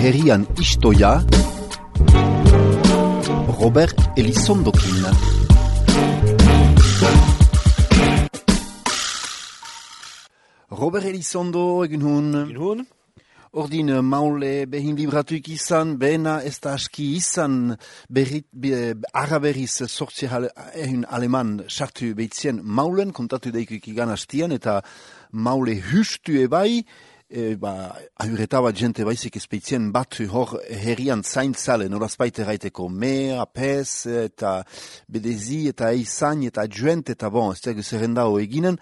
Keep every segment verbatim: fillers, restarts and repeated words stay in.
herrian istoia Robert Elizondokin. Robert Elizondo, egin hun. Egin hun. Ordin maule behin libratuik izan, bena ez da aski izan berrit, be, araberriz sortzi egin aleman sartu behitzien maulen, kontatu daikik igan hastian, eta maule hustu ebai, e, ba, ahureta bat jente baizik ezpeitzien bat hor herrian zaintzale, norazpaite raiteko me, apes, eta bedezi, eta eizan, eta juent, eta bon, ez da zerrendao eginen,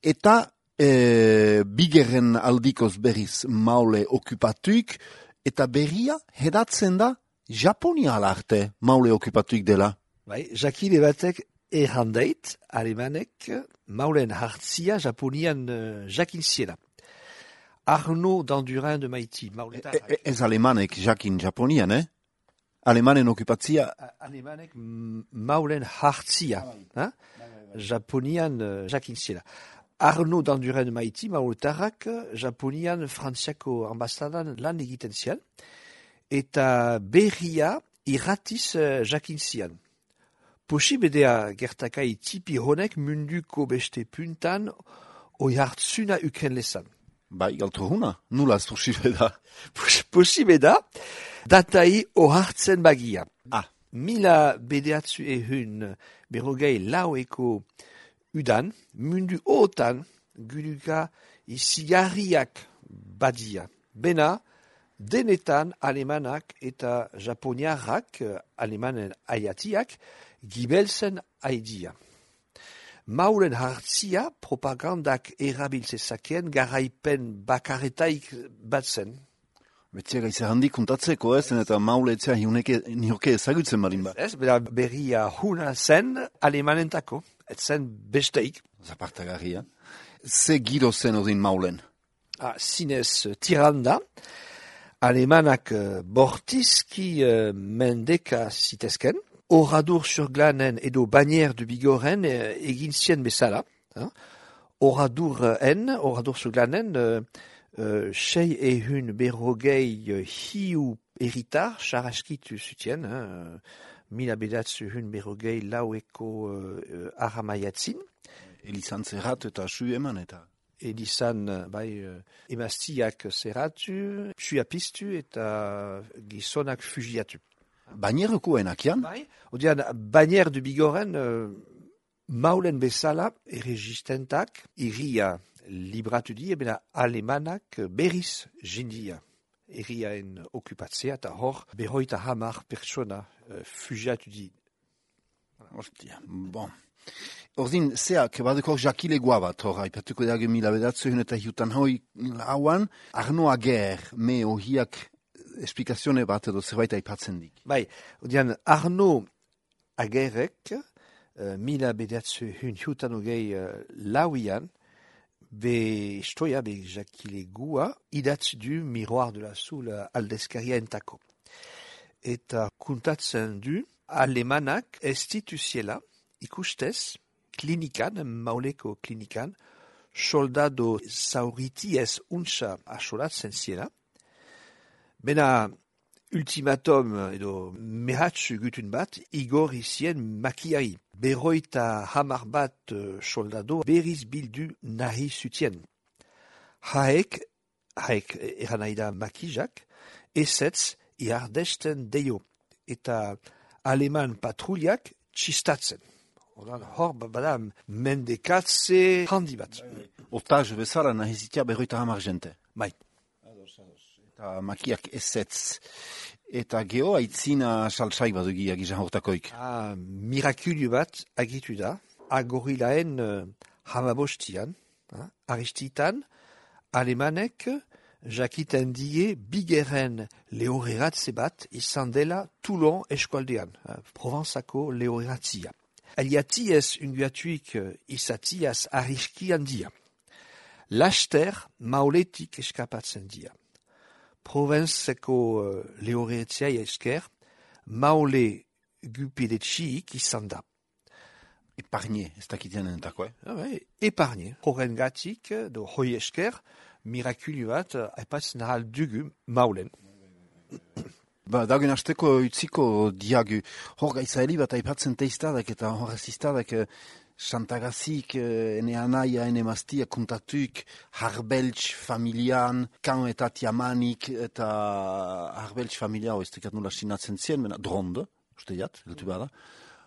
eta E, bigerren aldikoz berriz maule okupatuik, eta berria hedatzen da Japonia alarte maule okupatuik dela. Bai, jakile batek errandait, alemanek maulen hartzia Japonian uh, jakin ziela. Arnaud d'Andurin de Maiti, mauletarrak. E, e, ez alemanek jakin Japonian, eh? Alemanen okupatzia? Alemanek maulen hartzia, ah, Japonian uh, jakin ziela. Arnaud d'Andurin de Maiti, mauletarrak, Japonian frantziako ambasadan lan egiten zian, eta berria irratiz uh, jakin zian. Posibedea gertakai tipi honek munduko beste puntan oi hartzuna ukren lezan. Bai, galtu huna, nula ez posibeda. Posibeda, datai o hartzen bagia. Ah. Mila bedeatzu ehun berrogei laueko udan, mundu otan guduka izigarriak badia. Bena, denetan alemanak eta japoniarrak, alemanen aiatiak, gibelzen aidia. Maulen hartzia propagandak erabiltzezakeen garaipen bakaretaik batzen. Betziaga izan handik kontatzeko ez, eta maule etzea nioke ezagutzen marin ba. Ez, bera berria huna zen alemanentako, ez zen besteik. Zapartagarria. Ze giro zen odin maulen? Ah, zinez tiranda, alemanak uh, bortizki uh, mendeka zitezken, oradur surglanen edo banier de bigoren uh, egin zien bezala. Hein? Oradur en, oradur surglanen, uh, uh, sei ehun berrogei uh, hiu eritar, xaraskitu zutien, hein? Mila bedatzu hun berrogei laueko uh, aramaiatzin. Elizan zerrat eta su eman eta... Elizan, bai, uh, emaztiak zerratu, su apistu eta gizonak fugiatu. Bainieroko enakian? Bai, odian, banier du bigoren, uh, maulen bezala, erregistentak, irria libratu di, ebena alemanak berriz jindia. Erriaen okupatzea eta hor, berroita hamar pertsona uh, fugiatu di. Ostia, bon. Ordin, zeak, badeko jakilegoa bat, hor, haipatuko dage mila bedatzu eta hiutan hoi lauan, Arnaud Ager, me ohiak esplikazione bat edo zerbait aipatzen dik. Bai, odian, Arnaud Agerek, uh, mila bedatzu hiutan hogei uh, lauian, be istoia, be jakilegoa, idatz du miroir de la Soul aldezkaria entako. Eta kuntatzen du, alemanak estituziela, ikustez, klinikan, mauleko klinikan, soldado zauriti ez untsa asolatzen ziela. Bena, ultimatum edo mehatxu gutun bat, igor izien makiari. Berroita hamar bat soldado berriz bildu nahi zutien. Haek, haek eranaida makijak, ezetz iardesten deio. Eta aleman patruliak txistatzen. Odan, hor, bada, mendekatze handi bat. Otaz bezala nahizitia berroita hamar jente. Bai. Eta makiak ezetz. Eta geho aitzina saltsaik bat dugiak izan hortakoik. Ah, mirakulio bat agitu da. Agorilaen uh, hamabostian, uh, aristitan, alemanek jakiten die bigeren lehoreratze bat izan dela Toulon eskualdean, uh, Provenzako lehoratzia. Aliatiez unguatuik uh, izatiaz arriski handia. Laster mauletik eskapatzen dia. Provenzeko uh, lehoretzia esker, maule gupidetxiik izan da. Epargne, ez dakitean entako, eh? Ah, bai, epargne. Horren gatik, do hoi esker, mirakulio bat, aipatzen ahal dugu maulen. Ba, dagen asteko utziko diagu. Hor gaizaeli bat aipatzen teiztadak eta horrez iztadak Santagazik, ene anaia, ene maztia kontatuk Harbeltz familian, kan eta tiamanik eta Harbeltz familia, ez tekat nula sinatzen zien, mena dronde, uste jat, geltu bada.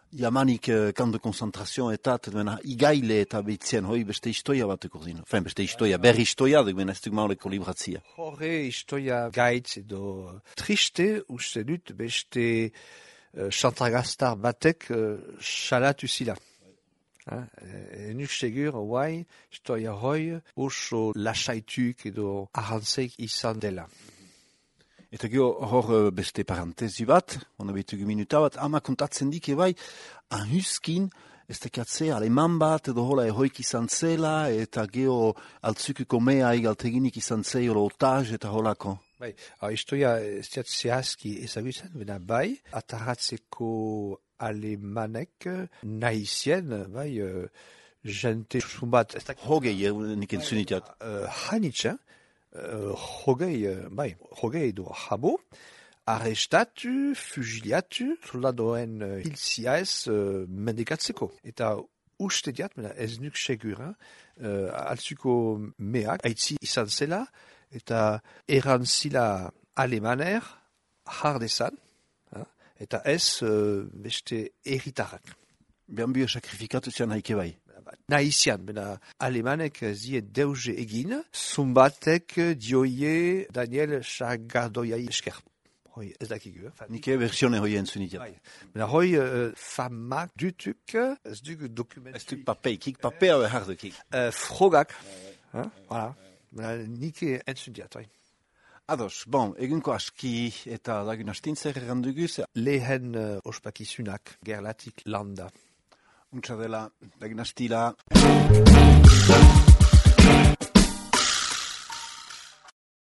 Jamanik kan de konzentrazioa eta mena igaile eta behitzen, hoi beste istoia bat ekordin. Fen, beste istoia, berri istoia, duk mena ez duk mauleko libratzia. Horre istoia gaitz edo triste, uste dut beste uh, Santagastar batek uh, salatu zila. Enuk segur, guai, istoia hoi, oso lasaituk edo ahantzeik izan dela. Eta gero hor beste parantezi bat, hona betugu minuta bat, ama kontatzen dike bai, ahuskin, ez tekatze aleman bat, edo hola ehoik izan zela, eta gero altzukuko mea egalteginik izan zeiro otaz, eta holako. Bai, hau istoia ez diat zehazki ezagutzen, bena bai, atarratzeko alemanek nahizien, bai, uh, jente zumbat... Hogei, nik entzunitiat. Uh, Hanitz, Uh, hogei, uh, bai, hogei edo jabo, arrestatu, fugiliatu, soldadoen uh, hilzia ez uh, mendekatzeko. Eta uste diat, ez nuk segura, uh, altzuko meak, haitzi izan zela, eta erantzila alemaner, jardezan, uh, eta ez uh, beste erritarrak. Behan bio sakrifikatu zian haike bai. Nahizian, bena alemanek zie deuze egin, zumbatek dioie Daniel Sagardoiai esker. Hoi, ez dakigu. Eh? Nike versione hoi entzunitia. Bena hoi, uh, famak dutuk, ez duk dokumentu... Ez duk papei, kik papea behar dukik. Uh, frogak, uh, voilà. Bena nike entzunitia. Ados, bon, egunko aski eta dagun astintzer erranduguz. Lehen uh, ospakizunak, gerlatik landa. Untsa dela, dagun astila.